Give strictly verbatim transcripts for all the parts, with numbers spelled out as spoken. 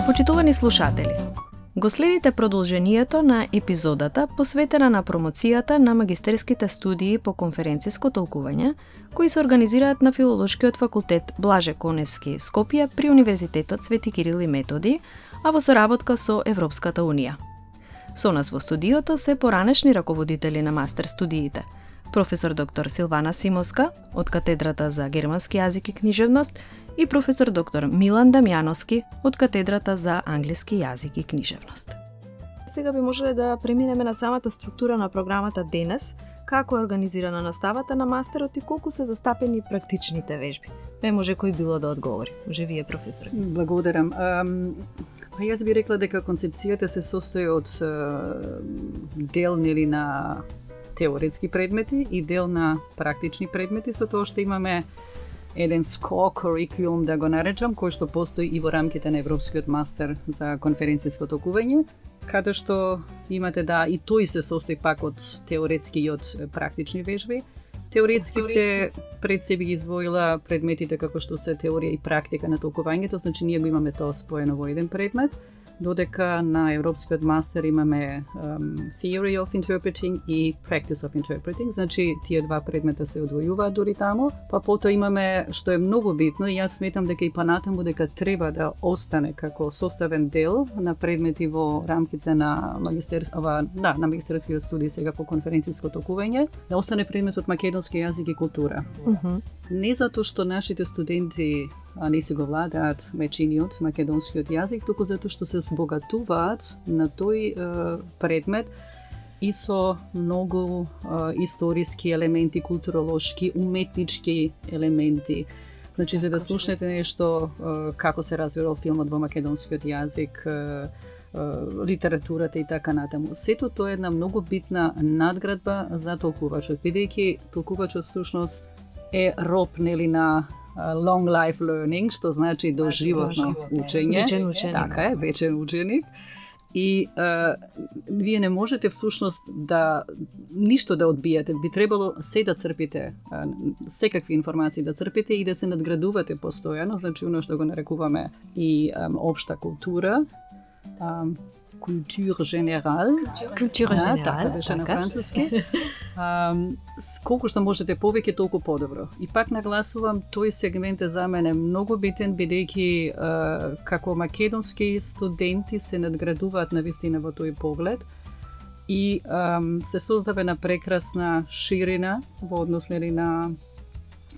Почитувани слушатели, го следите продолжението на епизодата посветена на промоцијата на магистерските студии по конференциско толкување, кои се организираат на Филолошкиот факултет Блаже Конески, Скопје при Универзитетот Свети Кирил и Методи, а во соработка со Европската Унија. Со нас во студиото се поранешни раководители на мастер студиите, професор доктор Силвана Симовска од катедрата за германски јазик и книжевност и професор доктор Милан Дамјановски од катедрата за англиски јазик и книжевност. Сега би можеле да преминеме на самата структура на програмата денес, како е организирана наставата на мастерот и колку се застапени практичните вежби. Не може кој било да одговори. Може вие, професор. Благодарам. Um, па јас би рекла дека концепцијата се состои од uh, дел нели на теоретски предмети и дел на практични предмети, со тоа што имаме еден core curriculum, да го наречам, кој што постои и во рамките на Европскиот мастер за конференциско толкување, каде што имате да и тој се состои пак од теоретски и од практични вежби. Теоретските пред себе ги извоила предметите како што се теорија и практика на толкувањето, значи ние го имаме тоа споено во еден предмет, додека на Европскиот мастер имаме um, Theory of Interpreting и Practice of Interpreting, значи тие два предмета се одвојуваат дури таму, па потоа имаме, што е многу битно, и јас сметам дека и понатаму дека треба да остане како составен дел на предмети во рамките на магистерскава, да, на магистерскиот студии сега по конференциско толкување, да остане предметот македонски јазик и култура. Uh-huh. Не затоа што нашите студенти а не си го владаат веќиниот македонскиот јазик, туку затоа што се збогатуваат на тој е, предмет и со многу е, историски елементи, културолошки, уметнички елементи. Значи, за да слушнете нешто е, како се развивал филмот во македонскиот јазик, е, е, литературата и така натаму. Сето тоа е една многу битна надградба за толкувачот, бидејќи толкувачот всушност е роб нели на long life learning, што значи доживотно учење. Вечен ученик. Така е, вечен ученик. И uh, вие не можете всушност да ништо да одбиете. Би требало се да црпите, uh, секакви информации да црпите и да се надградувате постојано, значи оно што го нарекуваме и um, општа култура, um, култура генерал. Култура генерал, така беше на француски. Um, колку што можете повеќе, толку подобро. И пак нагласувам, тој сегмент е за мене многу битен, бидејќи uh, како македонски студенти се надградуваат на вистина во тој поглед и um, се создава една прекрасна ширина во однос на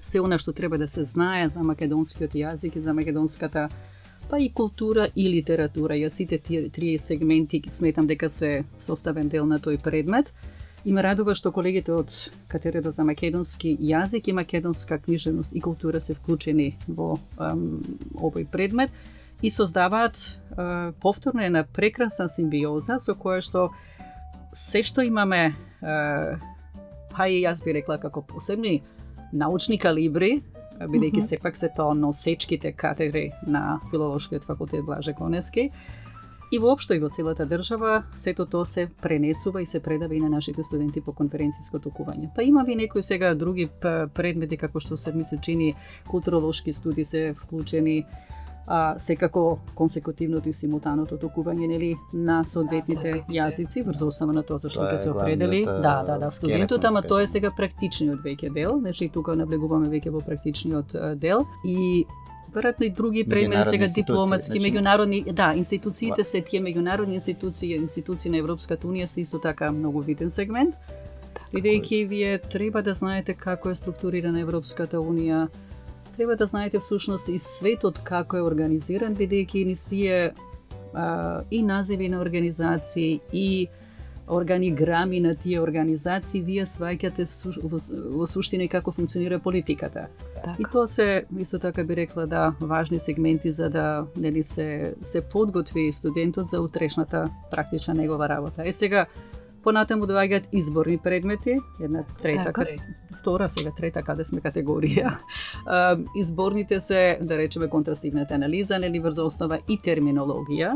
се она што треба да се знае за македонскиот јазик и за македонската па и култура и литература. Јас сите тие три сегменти сметам дека се составен дел на тој предмет. И ме радува што колегите од катедрата за македонски јазик и македонска книжевност и култура се вклучени во ем, овој предмет и создаваат е, повторно една прекрасна симбиоза со која што се што имаме, е, па и јас би рекла како посебни научни калибри, бидејќи uh-huh. сепак се тоа носечките катедри на Филолошкиот факултет Блаже Конески. И воопшто и во целата држава, сето тоа се пренесува и се предава и на нашите студенти по конференциско толкување. Па има ви некои сега други предмети, како што се ми се чини, културолошки студии се вклучени, а секако консекутивното и симултаното толкување нели на соодветните јазици врз основа на тоа зашто ќе се определи. Да, да, да, студентот, ама тоа е сега практичниот веќе дел, значи тука наблегуваме веќе во практичниот дел и веројатно и други предмети сега дипломатски, значи меѓународни, да, институциите се тие меѓународни институции, институции на Европската унија се исто така многу виден сегмент. Бидејќи вие треба да знаете како е структурирана Европската унија, треба да знаете всушност и светот како е организиран, бидејќи низ тие а, и називи на организации и органиграми на тие организации вие сваќате во, во суштина како функционира политиката. Так. И тоа се исто така би рекла да важни сегменти за да нели се се подготви студентот за утрешната практична негова работа. Е сега понатаму доаѓаат изборни предмети, една трета, така. втора, сега трета, каде сме категорија. Изборните се, да речеме, контрастивната анализа, нели врз основа и терминологија.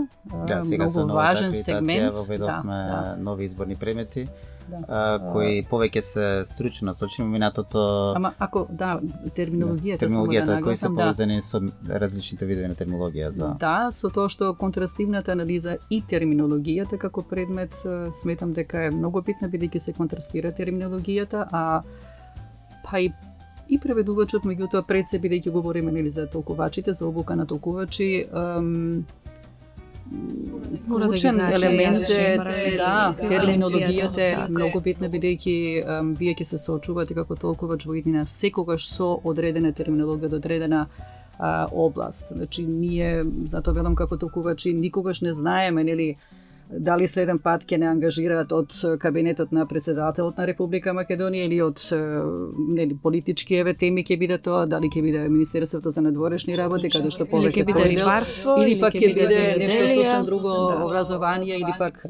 Да, сега многу со важен новата сегмент. воведовме да, да. нови изборни предмети. а, кои повеќе се стручно насочени минатото. Ама ако да, терминологијата, да, терминологијата да кои се да. поврзани со различните видови на терминологија за. Да, со тоа што контрастивната анализа и терминологијата како предмет сметам дека е многу битна, бидејќи се контрастира терминологијата, а па и и преведувачот, меѓутоа пред се, бидејќи говориме нели за толкувачите, за обука на толкувачи, ем, клучен да елемент е да, да, терминологијата е така многу битна, бидејќи ем, вие ќе се соочувате како толкувач во иднина секогаш со одредена терминологија, одредена а, област. Значи ние, затоа велам како толкувачи, никогаш не знаеме нели дали следен пат ќе не ангажираат од кабинетот на председателот на Република Македонија или од нели политички еве теми ќе биде тоа, дали ќе биде Министерството за надворешни работи, каде што повеќе ќе биде рибарство, или пак ќе биде нешто сосем друго, да, образование, или пак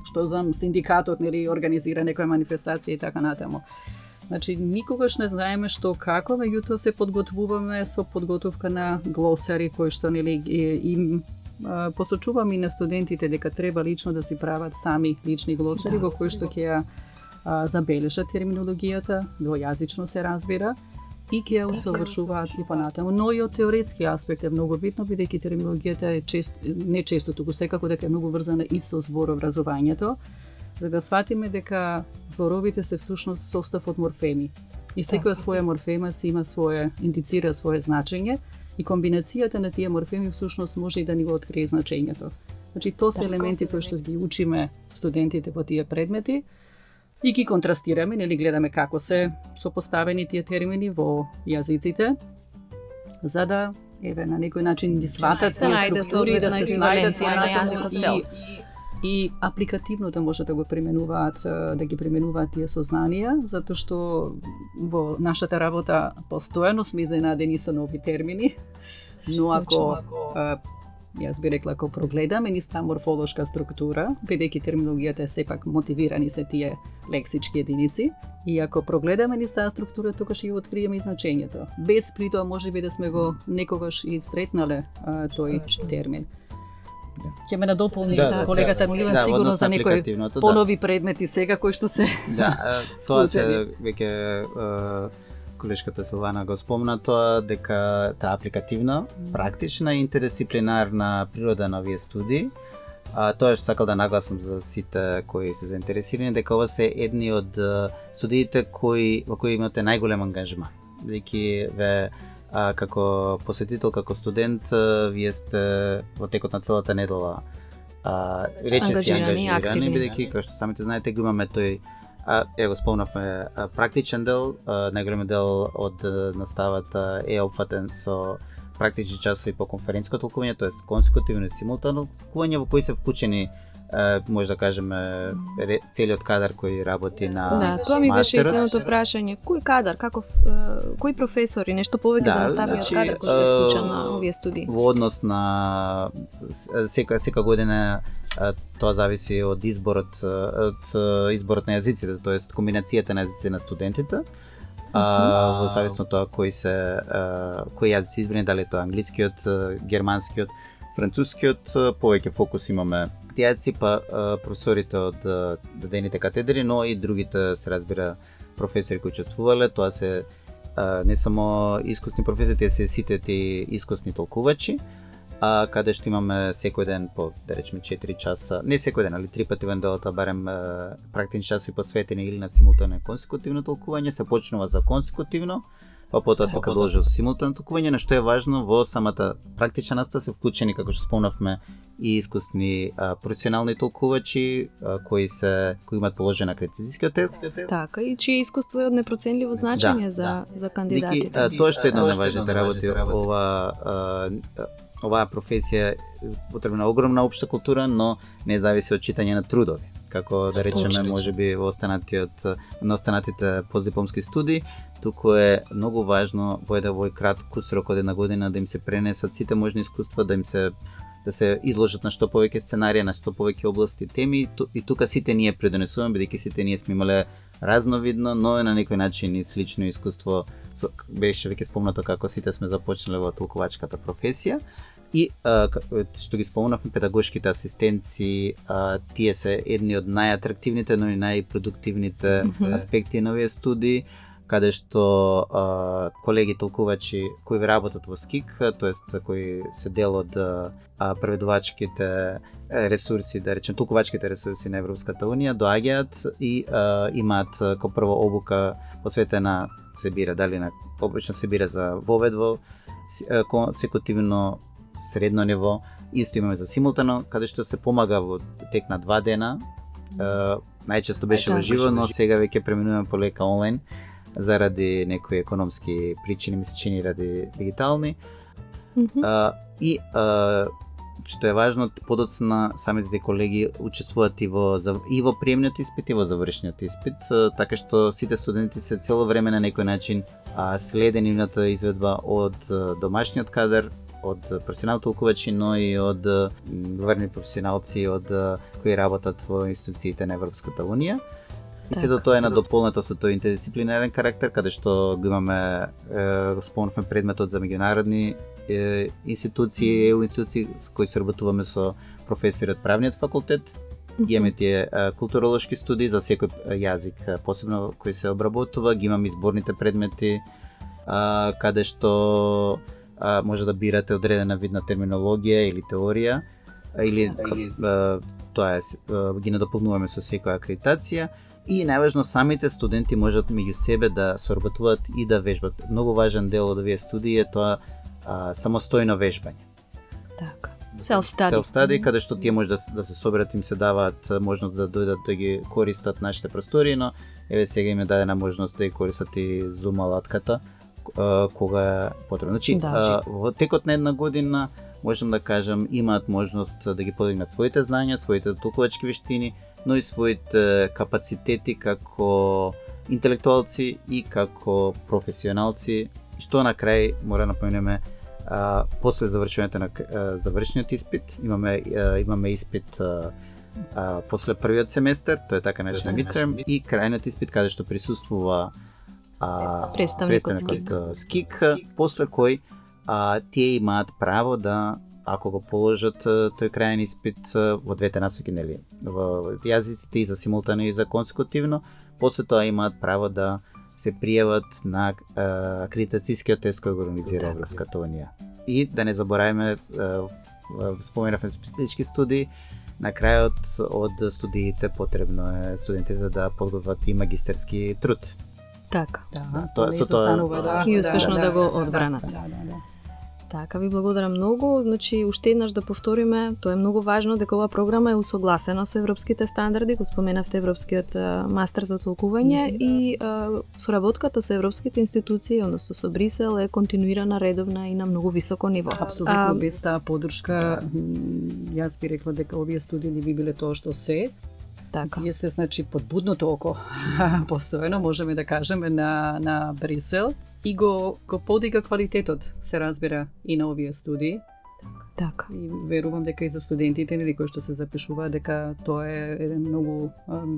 што знам синдикатот нели организира некоја манифестација и така натаму. Значи никогаш не знаеме што како, меѓутоа се подготвуваме со подготовка на глосари кои што нели им посочувам и на студентите дека треба лично да си прават сами лични глосари да, во кои што ќе ја забележат терминологијата, двојазично се разбира, и ќе ја усовршуваат и понатаму. Но и од теоретски аспект е многу битно, бидејќи терминологијата е чест, не често, туку секако дека е многу врзана и со зборовразувањето, за да сватиме дека зборовите се всушност состав од морфеми. И секоја своја морфема си има свое, индицира свое значење, и комбинацијата на тие морфеми всушност може и да ни го открие значењето. Значи тоа се елементи кои што ги учиме студентите по тие предмети и ги контрастираме, нели гледаме како се сопоставени тие термини во јазиците, за да еве на некој начин ги сватат тие структури, да се снајдат на јазикот цел. И апликативно да може да го применуваат, да ги применуваат тие сознанија, затоа што во нашата работа постојано сме изненадени со нови термини, но ако, а, јас би рекла, ако прогледаме низ морфолошка структура, бидејќи терминологијата е сепак мотивирани се тие лексички единици, и ако прогледаме низ таа структура, тогаш и откриеме и значењето. Без при тоа можеби да сме го некогаш и сретнале а, тој термин. Ќе ме надополни да, да, колегата Милан да, сигурно за некои понови да. предмети сега кои што се да, тоа се веќе колешката Силвана го спомна тоа дека таа апликативна, практична и интердисциплинарна природа на овие студии. А, тоа што сакал да нагласам за сите кои се заинтересирани, дека ова се едни од студиите кои во кои имате најголем ангажман. Бидејќи ве А, како посетител, како студент, а, вие сте во текот на целата недела а, рече си ангажирани, бидејќи, како што самите знаете, го имаме тој, а, е го спомнавме, а, практичен дел, а, најголем дел од а, наставата е опфатен со практични часови по конференциско толкување, тоест консекутивно и симултано толкување, во кои се вклучени Uh, може да кажеме целиот кадар кој работи на да, тоа ми беше следното прашање. Кој кадар, каков, uh, кои професори, нешто повеќе да, за наставниот значи, кадар кој што е вклучен uh, на овие студии? Во однос на сека сека година uh, тоа зависи од изборот од изборот на јазиците, тоест комбинацијата на јазици на студентите. А, uh, во зависно тоа кои се uh, кои јазици избрани, дали тоа англискиот, uh, германскиот, францускиот, повеќе фокус имаме јазици, па професорите од дадените катедри, но и другите се разбира професори кои учествувале. Тоа се а, не само искусни професори, тие се сите ти искусни толкувачи, а каде што имаме секој ден по, да речеме, четири часа, не секој ден, али три пати во неделата барем а, практични часови посветени или на симултано и консекутивно толкување. Се почнува за консекутивно, па потоа се продолжува со симултано толкување, на што е важно во самата практична настава се вклучени, како што спомнавме, и искусни а, професионални толкувачи а, кои се кои имаат положен акредитацијски тест. Така, и чие искуство е од непроценливо значење да, за да. за кандидатите. Дики, а, тоа што е една од најважните работи, ова а, оваа професија потребна огромна општа култура, но не зависи од читање на трудови. Како да речеме, можеби во останатиот на останатите постдипломски студии, туку е многу важно во еден вој кратко срок од една година да им се пренесат сите можни искуства, да им се да се изложат на што повеќе сценарија, на што повеќе области, теми, и тука сите ние предонесуваме, бидејќи сите ние сме имале разновидно, но на некој начин и слично искуство, беше веќе спомнато како сите сме започнале во толкувачката професија. И а, што ги спомнавме, педагошките асистенци, а, тие се едни од најатрактивните, но и најпродуктивните mm-hmm. аспекти на овие студии, каде што а, колеги толкувачи кои работат во СКИК, тоест кои се дел од а, преведувачките ресурси, да речем толкувачките ресурси на Европската унија, доаѓаат и а, имаат како прво обука посветена, се бира дали на обично се бира за воведво, секутивно средно ниво, исто имаме за симултано, каде што се помага во тек на два дена. Uh, најчесто беше во живо, но сега веќе преминуваме полека онлайн заради некои економски причини, ми се чини ради дигитални. Mm-hmm. Uh, и uh, што е важно, подоцна самите колеги учествуваат и во и во приемниот испит и во завршниот испит, uh, така што сите студенти се цело време на некој начин uh, следе нивната изведба од uh, домашниот кадар, од професионални толкувачи, но и од врни професионалци од кои работат во институциите на Европската унија. И сето тоа е надополнето со тој интердисциплинарен карактер, каде што го имаме, е, спомнавме предметот за меѓународни е, институции, еу институции со кои се работуваме со професори од правниот факултет. Ги имаме тие е, културолошки студии за секој јазик, посебно кој се обработува, ги имаме изборните предмети, е, каде што А, може да бирате одредена видна терминологија или теорија, или, или а, тоа е, а, ги надополнуваме со секоја акредитација и најважно самите студенти можат меѓу себе да соработуваат и да вежбат. Многу важен дел од овие студии е тоа а, самостојно вежбање. Така. Self-study. Self-study, каде што тие може да, да се соберат, им се даваат можност да дојдат да ги користат нашите простори, но еве сега им е дадена можност да ги користат и Zoom алатката, кога е потребно. Значи, да, во текот на една година, можам да кажам, имаат можност да ги подигнат своите знања, своите толкувачки вештини, но и своите капацитети како интелектуалци и како професионалци, што на крај мора да напоменеме, а, после завршувањето на а, завршниот испит, имаме а, имаме испит а, а, после првиот семестар, тоа е така наречен midterm, и крајниот испит каде што присуствува А, представникот СКИК, после кој а, тие имаат право да, ако го положат тој крајен испит во двете насоки, нели, во јазиците и за симултано и за консекутивно, после тоа имаат право да се пријават на а, акредитацијскиот тест кој го организира так, Европската унија. И да не забораваме, споменавме специфички студии, на крајот од студиите потребно е студентите да подготват и магистерски труд. Така. Да, да, тоа со тоа да, и успешно да, да, да го одбранат. Да, да, да. Така, ви благодарам многу. Значи, уште еднаш да повториме, тоа е многу важно дека оваа програма е усогласена со европските стандарди, го споменавте европскиот а, мастер за толкување mm-hmm. и а, соработката со европските институции, односно со Брисел, е континуирана, редовна и на многу високо ниво. Апсолутно, без таа поддршка, јас би рекла дека овие студии не би биле тоа што се. Така. Тие се, значи, под будното око, постојано можеме да кажеме на, на Брисел и го, го подига квалитетот, се разбира, и на овие студии. Така. И верувам дека и за студентите, нели, кои што се запишуваат, дека тоа е еден многу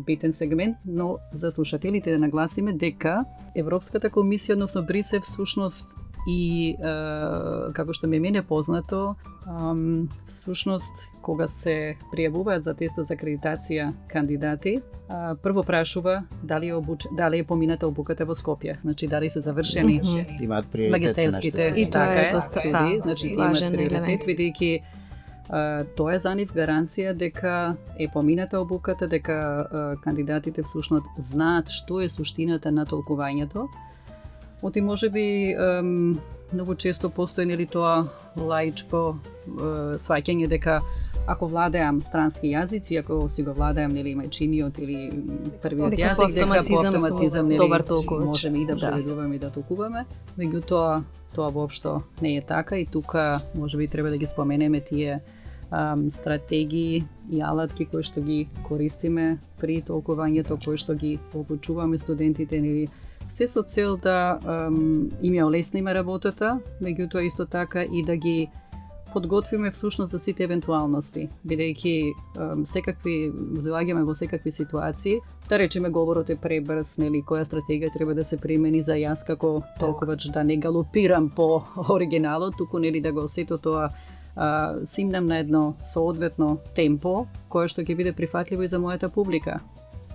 битен сегмент, но за слушателите да нагласиме дека Европската комисија, односно Брисел, всушност и е, како што ми мене познато, um, всушност кога се пријавуваат за тестот за акредитација кандидати, uh, прво прашува дали е обуч... дали е помината обуката во Скопје, значи дали се завршени mm-hmm. имаат приоритет магистерските и тоа е доста студии, значи имаат приоритет, бидејќи uh, тоа е за нив гаранција дека е помината обуката, дека uh, кандидатите всушност знаат што е суштината на толкувањето. Оти може би ем, многу често постои нели тоа лаичко е, сваќање дека ако владеам странски јазици, ако си го владеам нели мајчиниот или првиот јазик, дека по автоматизам нели можеме и да преведуваме и да толкуваме. Меѓутоа тоа воопшто не е така и тука можеби треба да ги споменеме тие ем, стратегии и алатки кои што ги користиме при толкувањето, кои што ги обучуваме студентите нели се со цел да um, им ја олесниме работата, меѓутоа исто така и да ги подготвиме всушност за сите евентуалности, бидејќи um, секакви доаѓаме во секакви ситуации, да речеме говорот е пребрз, нели која стратегија треба да се примени за јас како толкувач да не галопирам по оригиналот, туку нели да го осето тоа а, симнам на едно соодветно темпо кое што ќе биде прифатливо и за мојата публика.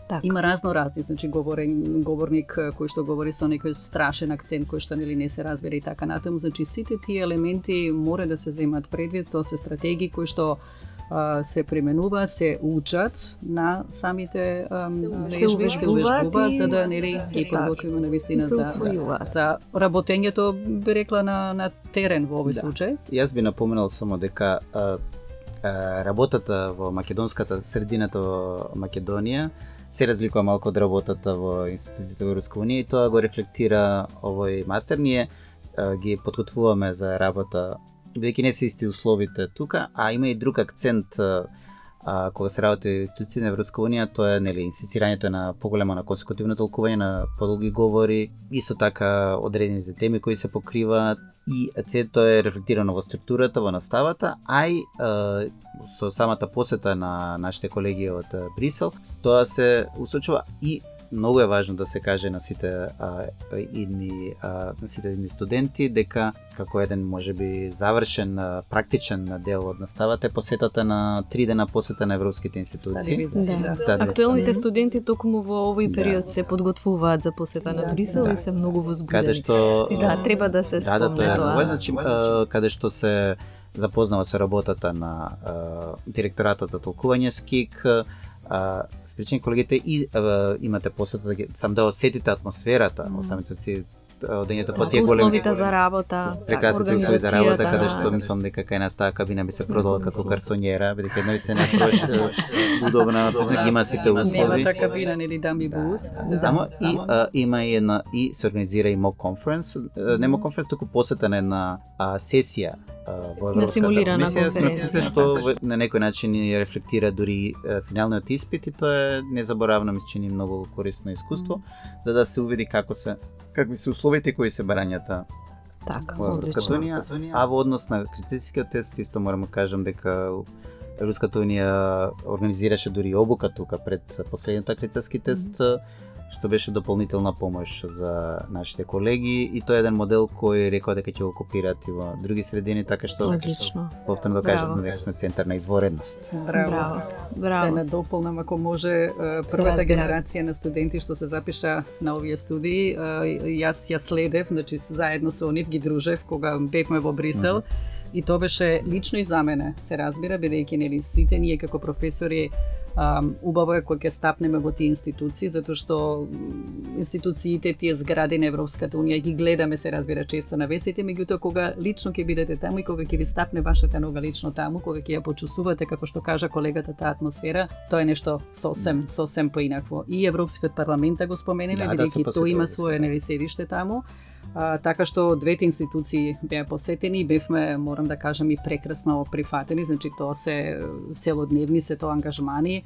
Так. Има разно разни, значи говорен говорник кој што говори со некој страшен акцент кој што нели не се разбира и така натаму, значи сите тие елементи мора да се земат предвид, тоа се стратегии кои што а, се применуваат, се учат на самите лежби, се увежбуваат за да нели ги подготвиме на вистина за, за работењето, би рекла на на терен во овој да. случај. Јас би напоменал само дека а, а, работата во македонската средината во Македонија се разликува малку од работата во институциите во Европска унија и тоа го рефлектира овој мастер. Ние а, ги подготвуваме за работа, бидејќи не се исти условите тука, а има и друг акцент а, кога се работи во институциите на Европска унија, тоа е нели инсистирањето на поголемо на консекутивно толкување, на подолги говори, исто така одредените теми кои се покриваат и се тоа е рефлектирано во структурата, во наставата, а и а, со самата посета на нашите колеги од Брисел, тоа се усочува и многу е важно да се каже на сите а, идни а, на сите идни студенти дека како еден можеби завршен а, практичен дел од наставата е посетата на три дена посета на европските институции. Да. Да. Актуелните студенти токму во овој период да. се подготвуваат за посета на Брисел да. и се многу возбудени. Каде што да, треба да се спомне да, да, тоа. тоа. Значи, а, каде што се запознава со работата на а, директоратот за толкување СКИК, а, спречени колегите и а, имате посета да сам да осетите атмосферата, mm. самите си одењето по тие големи условите за работа, прекрасните услови за работа, каде што мислам дека кај нас таа кабина би се продала како карсонјера, бидејќи наистина прош удобна, ги има сите услови. Нема кабина нели дамби бут. Само и а, има и една и се организира и мок конференс, не мок конференс, туку посета на една а, сесија во на симулирана конференција што на некој начин ни рефлектира дури финалниот испит и тоа е незаборавно, мислам, многу корисно искуство за да се увиди како се какви се условите кои се барањата во Европската унија, а во однос на критичкиот тест исто морам да кажам дека Европската унија организираше дури обука тука пред последниот критички тест, што беше дополнителна помош за нашите колеги и тоа е еден модел кој рекоа дека ќе го копираат и во други средини, така што повторно да кажам дека центар на изворедност. Браво. Браво. Да надополнам ако може првата генерација на студенти што се запиша на овие студии, јас ја следев, значи заедно со нив ги дружев кога бевме во Брисел. И тоа беше лично и за мене, се разбира, бидејќи нели сите ние како професори Um, убаво е кога ќе стапнеме во тие институции, затоа што институциите, тие згради на Европската унија ги гледаме, се разбира, често на вестите, меѓутоа кога лично ќе бидете таму и кога ќе ви стапне вашата нога лично таму, кога ќе ја почувствувате, како што кажа колегата, таа атмосфера, тоа е нешто сосем, сосем поинакво. И Европскиот парламент го споменеме, да, бидејќи да тој има свое нели седиште таму. А, така што двете институции беа посетени и бевме, морам да кажам, и прекрасно прифатени, значи тоа се целодневни се тоа ангажмани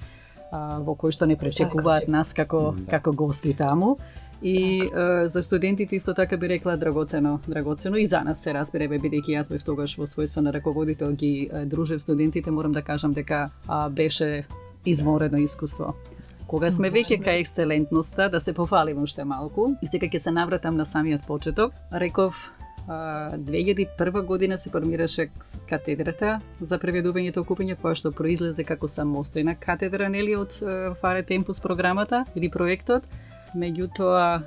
а, во кои што не пречекуваат нас како да. како гости таму. И а, за студентите исто така би рекла драгоцено, драгоцено и за нас се разбира, бидејќи јас бев тогаш во својство на раководител ги а, дружев студентите, морам да кажам дека а, беше извонредно искуство. Кога сме веќе кај екселентноста, да се пофалим уште малку, и сега ќе се навратам на самиот почеток. Реков, две илјади и прва година се формираше катедрата за преведување и толкување, која што произлезе како самостојна катедра, нели, од Fare Tempus програмата или проектот. Меѓутоа,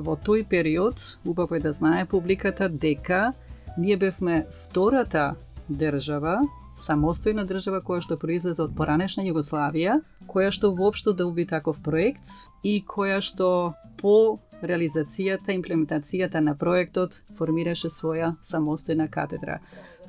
во тој период, убаво е да знае публиката дека ние бевме втората држава, самостојна држава која што произлезе од поранешна Југославија, која што воопшто да уби таков проект и која што по реализацијата, имплементацијата на проектот формираше своја самостојна катедра.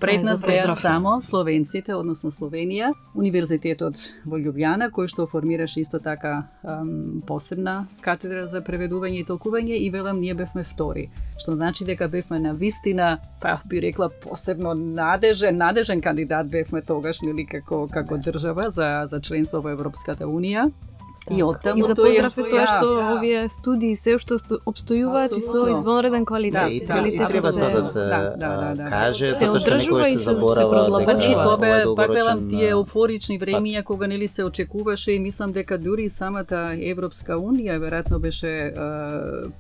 Пред нас беа само словенците, односно Словенија, Универзитетот во Љубљана, кој што формираше исто така ем, посебна катедра за преведување и толкување и велам ние бевме втори, што значи дека бевме на вистина, па би рекла посебно надежен, надежен кандидат бевме тогаш, нели, како како држава за за членство во Европската унија. И оттаму и за поздрав е тоа што да. овие студии се уште обстојуваат и со извонреден квалитет. Да, и, да, и треба тоа да се да, да, да, да. каже, се затоа што некој се заборава дека и тоа бе пак велам тие еуфорични времиња кога нели се очекуваше и мислам дека дури самата Европска унија веројатно беше е,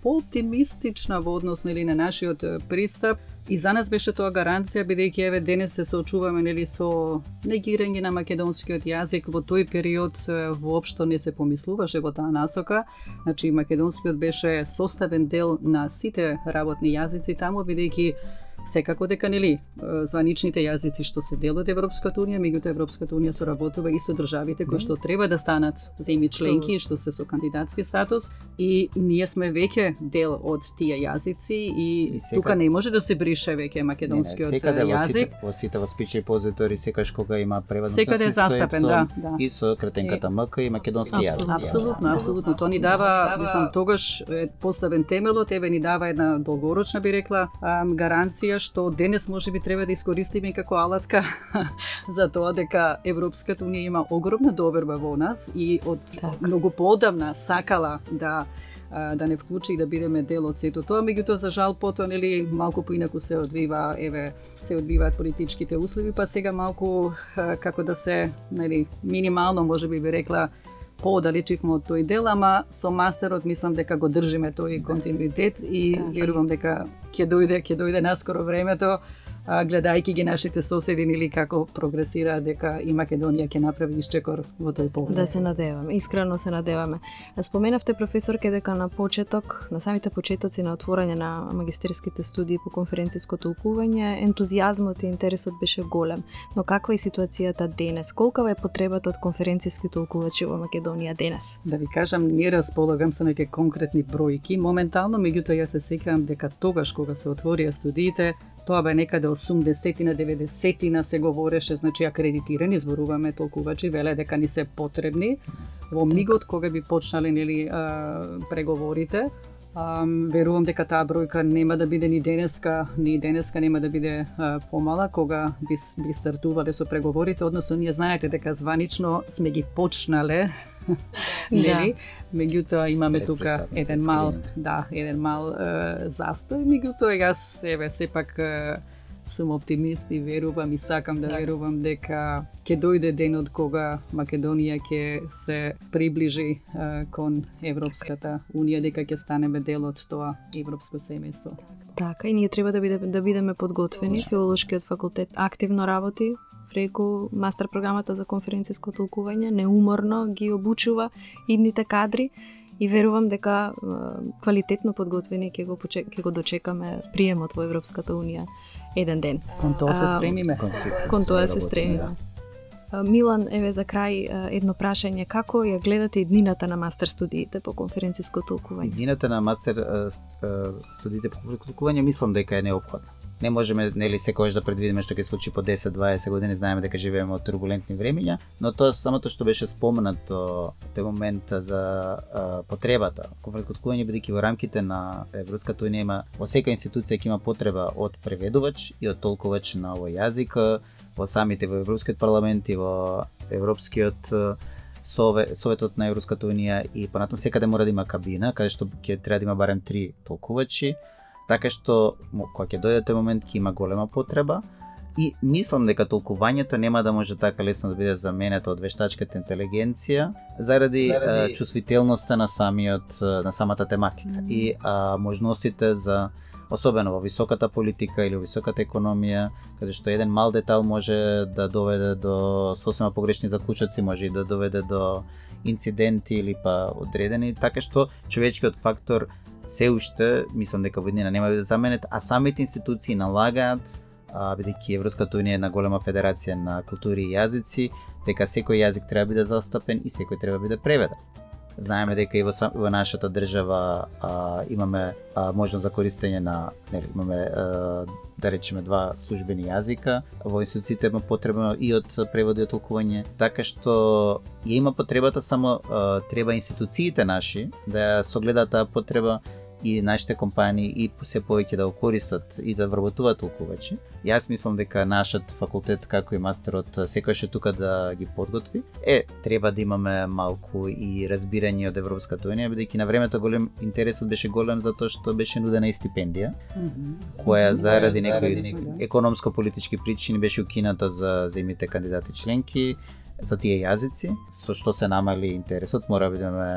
пооптимистична во однос нели на нашиот пристап, И за нас беше тоа гаранција, бидејќи еве денес се соочуваме нели со негирање на македонскиот јазик. Во тој период воопшто не се помислуваше во таа насока. Значи македонскиот беше составен дел на сите работни јазици таму, бидејќи секако дека нели званичните јазици што се дел од Европската унија, меѓутоа Европската унија соработува и со државите кои што треба да станат земји членки, што се со кандидатски статус, и ние сме веќе дел од тие јазици и, и секад... тука не може да се брише веќе македонскиот не, не, секаде јазик. Во сите воспичи позитори секаш кога има превод на секаде е застапен, да, да. И со кратенката МК и македонски јазик. Апсолутно, апсолутно. Тоа ни дава, мислам, тогаш е поставен темелот, еве ни дава една долгорочна, би рекла, гаранција што денес можеби треба да искористиме како алатка за тоа дека Европската унија има огромна доверба во нас и од так. Многу поодамна сакала да да не вклучи и да бидеме дел од сето тоа, меѓутоа за жал потоа нели малку поинаку се одвива, еве се одвиваат политичките услови, па сега малку како да се нели минимално можеби би рекла поодалечивме од тој дел, ама со мастерот мислам дека го држиме тој континуитет и верувам дека ќе дојде, ќе дојде наскоро времето, гледајќи ги нашите соседи или како прогресираат, дека и Македонија ќе направи исчекор во тој поглед. Да се надеваме, искрено се надеваме. Споменавте, професорке, дека на почеток, на самите почетоци на отворање на магистерските студии по конференциско толкување, ентузијазмот и интересот беше голем. Но каква е ситуацијата денес? Колкава е потребата од конференциски толкувачи во Македонија денес? Да ви кажам, не располагам со неке конкретни бројки моментално, меѓутоа јас се сеќавам дека тогаш кога се отворија студиите, тоа бе некаде осумдесетина, деветдесетина се говореше, значи акредитирани, зборуваме толкувачи, веле дека ни се потребни. Во мигот кога би почнале нели преговорите, Um, верувам дека таа бројка нема да биде ни денеска, ни денеска нема да биде uh, помала кога би, би стартувале со преговорите, односно ние знаете дека званично сме ги почнале, нели? Меѓутоа имаме тука еден мал, да, еден мал uh, застој, меѓутоа јас еве сепак uh, сум оптимист и верувам и сакам да верувам дека ќе дојде денот кога Македонија ќе се приближи uh, кон Европската унија, дека ќе станеме дел од тоа европско семејство. Така, и ние треба да бидеме да бидеме подготвени. Филолошкиот факултет активно работи преку мастер програмата за конференциско толкување, неуморно ги обучува идните кадри. И верувам дека квалитетно подготвени ќе го почек, ќе го дочекаме приемот во Европската унија еден ден. Кон тоа се стремиме. Кон тоа се стремиме. Милан, еве за крај едно прашање, како ја гледате иднината на мастер студиите по конференциско толкување? Иднината на мастер студиите по конференциско толкување мислам дека е неопходна. Не можеме нели секогаш да предвидиме што ќе се случи по десет-дваесет години, знаеме дека живееме од турбулентни времиња, но тоа самото што беше споменато тој момент за а, потребата. Конференциско толкување бидејќи во рамките на Европската унија има во секоја институција ќе има потреба од преведувач и од толкувач на овој јазик, во самите во Европскиот парламент и во Европскиот Совет, Советот на Европската унија и понатаму секаде мора да има кабина каде што ќе треба да има барем три толкувачи. Така што кога ќе дојде тој момент ќе има голема потреба и мислам дека толкувањето нема да може така лесно да биде заменето од вештачката интелигенција заради, заради... А, чувствителноста на самиот на самата тематика mm. и а, можностите за особено во високата политика или во високата економија, каде што еден мал детал може да доведе до сосема погрешни заклучоци, може и да доведе до инциденти или па одредени, така што човечкиот фактор се уште, мислам дека во иднина нема да заменет, а самите институции налагаат, бидејќи Европската унија е една голема федерација на култури и јазици, дека секој јазик треба да биде застапен и секој треба да биде преведен. Знаеме дека и во, во нашата држава а, имаме а, можност за користење на, нели, имаме а, да речеме два службени јазика, во институциите има потребно и од преводи и од толкување, така што ја има потребата, само а, треба институциите наши да согледаат таа потреба и нашите компании и се повеќе да го користат и да вработуваат толкувачи. Јас мислам дека нашиот факултет, како и мастерот, секојаш е тука да ги подготви. Е, треба да имаме малку и разбирање од Европската унија, бидејќи на времето голем интересот беше голем затоа што беше нудена и стипендија, mm-hmm. која заради некои економско-политички причини беше укината за земјите кандидати членки. за тие јазици, со што се намали интересот, мора да бидеме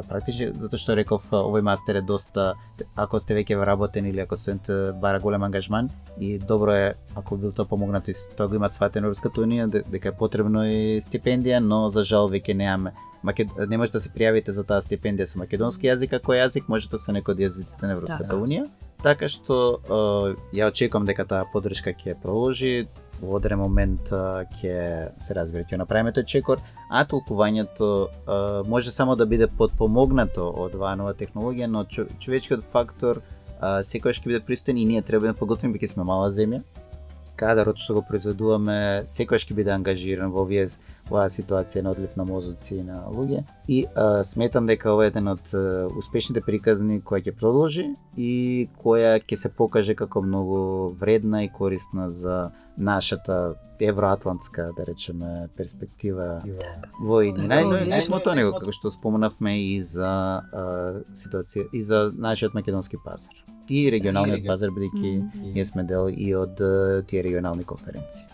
практични, затоа што реков овој мастер е доста, ако сте веќе вработен или ако студент бара голем ангажман, и добро е ако бил тоа помогнато и тоа го имат сватено Европската унија дека е потребно и стипендија, но за жал веќе немаме. Макед... не може да се пријавите за таа стипендија со македонски јазик, ако јазик можете со некој од јазиците на Европската да, унија. Така што ја очекувам дека таа поддршка ќе продолжи. Во одреден момент ќе се разбере ќе направиме тој чекор, а толкувањето а, може само да биде подпомогнато од оваа нова технологија, но човечкиот фактор а, секогаш ќе биде присутен и ние треба да подготвиме, бидејќи сме мала земја. Кадарот што го произведуваме секогаш ќе биде ангажиран во овие оваа ситуација на одлив на мозоци и на луѓе. И а, сметам дека ова е еден од а, успешните приказни која ќе продолжи и која ќе се покаже како многу вредна и корисна за нашата евроатлантска, да речеме, перспектива во иднина. Не само тоа него, како што споменавме и за а, ситуација и за нашиот македонски пазар. И регионалниот пазар, бидејќи ние сме дел и од тие регионални конференции.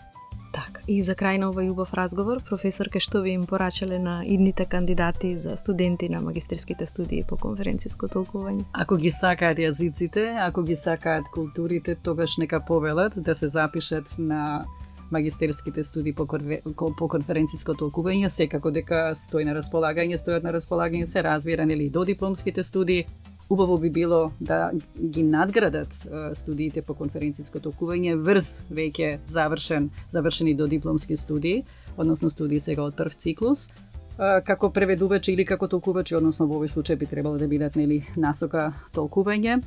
Така, и за крај на овој убав разговор, професорке, што ви им порачале на идните кандидати за студенти на магистерските студии по конференциско толкување? Ако ги сакаат јазиците, ако ги сакаат културите, тогаш нека повелат да се запишат на магистерските студии по, конфер... по конференциско толкување, секако дека стои на располагање, стојат на располагање, се разбира, нели, до дипломските студии. Убаво би било да ги надградат студиите по конференциско толкување врз веќе завршен, завршени до дипломски студии, односно студии сега од прв циклус, како преведувачи или како толкувачи, односно во овој случај би требало да бидат, нели, насока толкување.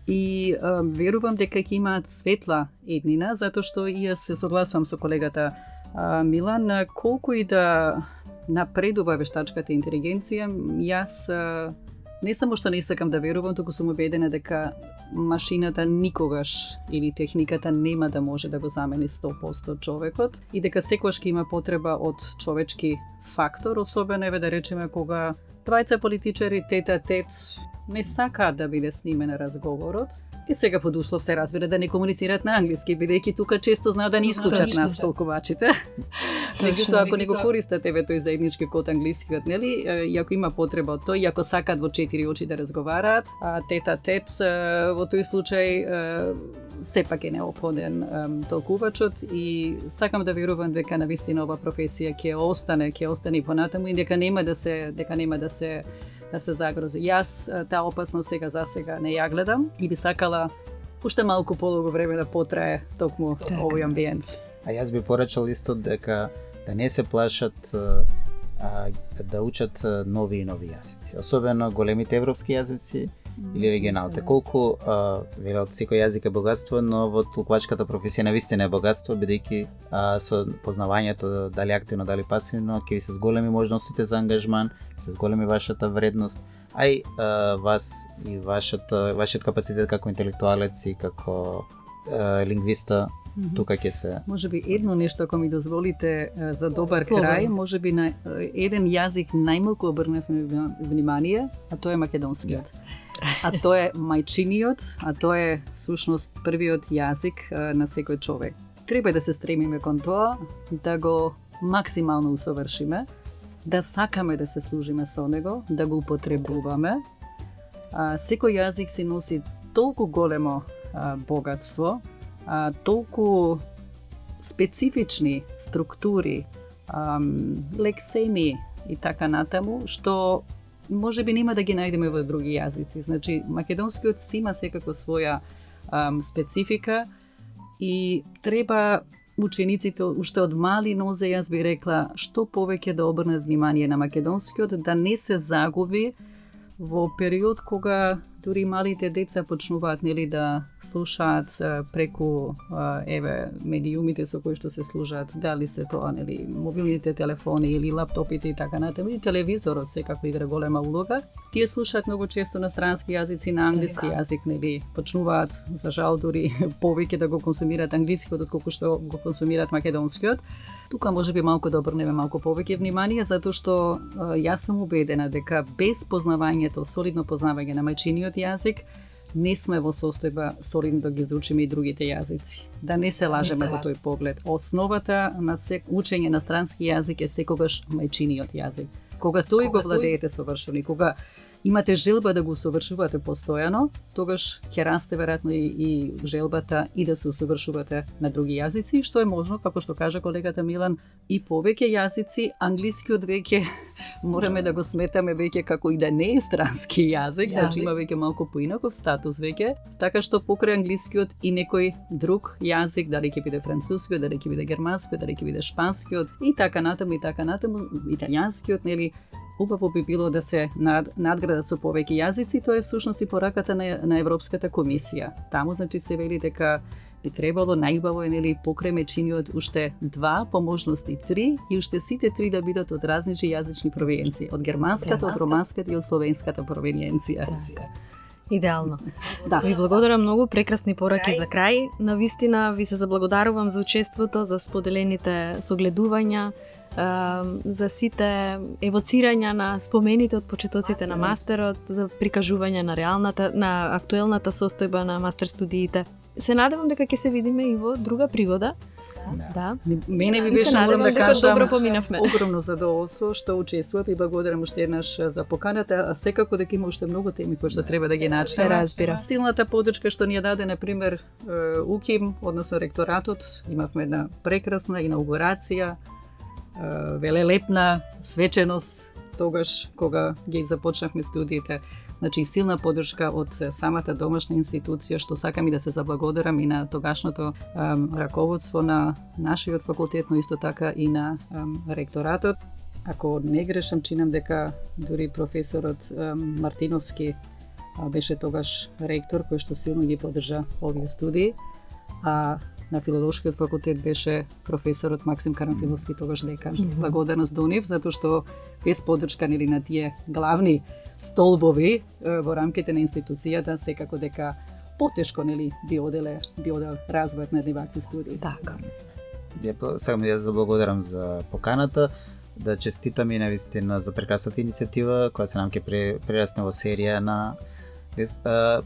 И а, верувам дека ќе имаат светла еднина, затоа што и јас се согласувам со колегата а, Милан, колку и да напредува вештачката интелигенција, јас а, не само што не сакам да верувам, туку сум убедена дека машината никогаш или техниката нема да може да го замени сто проценти човекот и дека секогаш ќе има потреба од човечки фактор, особено еве да речеме кога двајца политичари тет-а-тет не сакаат да биде снимен разговорот. И сега под услов се разбира да не комуницираат на англиски, бидејќи тука често знаат да не исклучат нас толкувачите. Меѓутоа, ако не го користат еве тој заеднички код англискиот, нели, и ако има потреба од тој, и ако сакаат во четири очи да разговараат, а тет-а-тет во тој случај сепак е неопходен толкувачот и сакам да верувам дека навистина ова професија ќе остане, ќе остане понатаму и дека нема да се дека нема да се да се загрози. Јас таа опасност сега за сега не ја гледам и би сакала уште малку подолго време да потрае токму так. овој амбиент. А јас би порачал исто дека да не се плашат а, да учат нови и нови јазици, особено големите европски јазици или регионалните. Колку а, велат секој јазик е богатство, но во толкувачката професија навистина е богатство, бидејќи а, со познавањето дали активно, дали пасивно, ќе ви се зголеми можностите за ангажман, се зголеми вашата вредност, а и а, вас и вашата вашиот капацитет како интелектуалец и како а, лингвиста. Mm-hmm. Тука ќе се. Можеби едно нешто, ако ми дозволите за добар Слободно. крај, можеби на еден јазик најмалку обрнав внимание, а тоа е македонскиот. Yeah. А тоа е мајчиниот, а тоа е всушност првиот јазик на секој човек. Треба да се стремиме кон тоа, да го максимално усовршиме, да сакаме да се служиме со него, да го употребуваме. А, секој јазик си носи толку големо а, богатство, а, толку специфични структури, ам, лексеми и така натаму, што може би нема да ги најдеме во други јазици. Значи, македонскиот си има секако своја ам, специфика и треба учениците уште од мали нозе, јас би рекла, што повеќе да обрнат внимание на македонскиот, да не се загуби во период кога дури малите деца почнуваат, нели, да слушаат преку еве медиумите со кои што се служат, дали се тоа, нели, мобилните телефони или лаптопите и така натаму, и телевизорот секако игра голема улога. Тие слушаат многу често на странски јазици, на англиски јазик, нели, почнуваат за жал дури повеќе да го консумираат англискиот отколку што го консумираат македонскиот. Тука може би малку да обрнеме малку повеќе внимание, затоа што јас сум убедена дека без познавањето, солидно познавање на мајчиниот јазик, не сме во состојба солидно да ги изучиме и другите јазици. Да не се лажеме во тој поглед. Основата на се, учење на странски јазик е секогаш мајчиниот јазик. Кога тој кога го владеете совршено и кога имате желба да го усовршувате постојано, тогаш ќе расте веројатно и, и желбата и да се усовршувате на други јазици, што е можно, како што кажа колегата Милан, и повеќе јазици. Англискиот веќе мораме да го сметаме веќе како и да не е странски јазик, да, значи има веќе малку поинаков статус веќе, така што покрај англискиот и некој друг јазик, дали ќе биде францускиот, дали ќе биде германскиот, дали ќе биде шпанскиот и така натаму и така натаму, италијанскиот, нели, убаво би било да се над, надградат со повеќе јазици. Тоа е всушност и пораката на, на Европската комисија. Таму значи се вели дека би требало најубаво е, нели, покрај мајчиниот уште два, по можности три, и уште сите три да бидат од различни јазични провиенции, од германската, од романската и од словенската провиенција. Така. Идеално. Да. Ви благодарам многу, прекрасни пораки за крај. Навистина ви се заблагодарувам за учеството, за споделените согледувања, за сите евоцирања на спомените од почетоците на мастерот, за прикажување на реалната, на актуелната состојба на мастер студиите. Се надевам дека ќе се видиме и во друга пригода. Да. Мене ви беше, морам да кажам, добро поминавме. Огромно задоволство што учествував и благодарам уште еднаш за поканата, а секако дека има уште многу теми кои што треба да ги начнеме. Разбира. Силната поддршка што ни ја даде, на пример, УКИМ, односно ректоратот, имавме една прекрасна инаугурација, велелепна свеченост тогаш кога ги започнавме студиите. Значи силна поддршка од самата домашна институција, што сакам и да се заблагодарам и на тогашното ем, раководство на нашиот факултет, но исто така и на ем, ректоратот. Ако не грешам, чинам дека дури професорот ем, Мартиновски а, беше тогаш ректор кој што силно ги поддржа овие студии, а на филолошкиот факултет беше професорот Максим Карамфиловски, тогаш декан. Mm-hmm. Благодарност до нив, затоа што без поддршка, нели, на тие главни столбови во рамките на институцијата, секако дека потешко, нели, би оделе, би одел развојот на вакви студии. Така. Ја сакам да ја заблагодарам за поканата, да честитам и навистина за прекрасната иницијатива која се нам ќе прерасне во серија на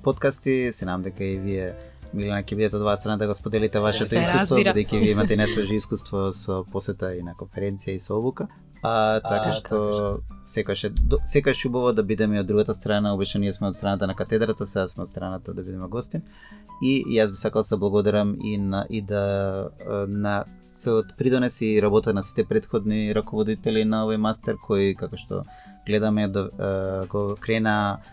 подкасти. Се нам дека и вие, Милена, ќе бидете од ваша страна да го споделите вашето искуство, бидејќи вие имате несвежи искуство со посета и на конференција и со обука. А, така а, што секаш е секаш убаво да бидеме од другата страна. Обично ние сме од страната на катедрата, сега сме од страната да бидеме гостин. И јас би сакал да се благодарам и на и да на целот придонес и работа на сите претходни раководители на овој мастер кои, како што гледаме, да го крена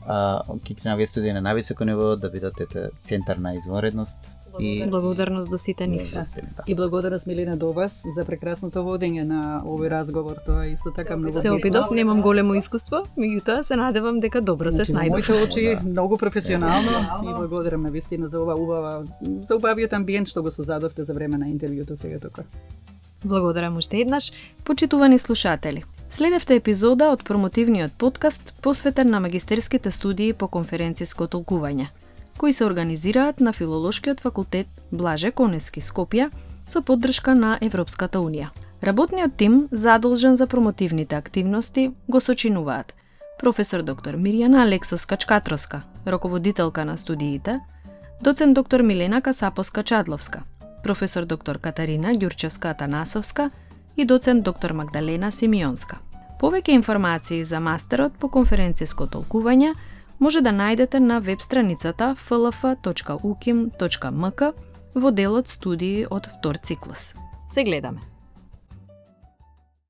ќе крена овие студии на највисоко ниво, да бидат ете центар на извонредност. И благодарност до сите нив. Да. И благодарност, Милена, до вас за прекрасното водење на овој разговор. Тоа е исто така многу. Се опитав, немам големо искуство, меѓутоа се надевам дека добро се снајдов. Моите очи многу професионално и благодарам на вистина за ова убава, за убавиот амбиент што го создадовте за време на интервјуто сега тука. Благодарам уште еднаш, почитувани слушатели. Следевте епизода од промотивниот подкаст посветен на магистерските студии по конференциско толкување, кои се организираат на Филолошкиот факултет Блаже Конески, Скопје, со поддршка на Европската Унија. Работниот тим, задолжен за промотивните активности, го сочинуваат професор доктор Мирјана Алексовска-Чкатроска, раководителка на студиите, доцент доктор Милена Касаповска-Чадловска, професор доктор Катарина Ѓурчевска-Атанасовска и доцент доктор Магдалена Симеонска. Повеќе информации за мастерот по конференциско толкување може да најдете на веб страницата еф ел еф точка у ким точка ем ка во делот студии од втор циклус. Се гледаме!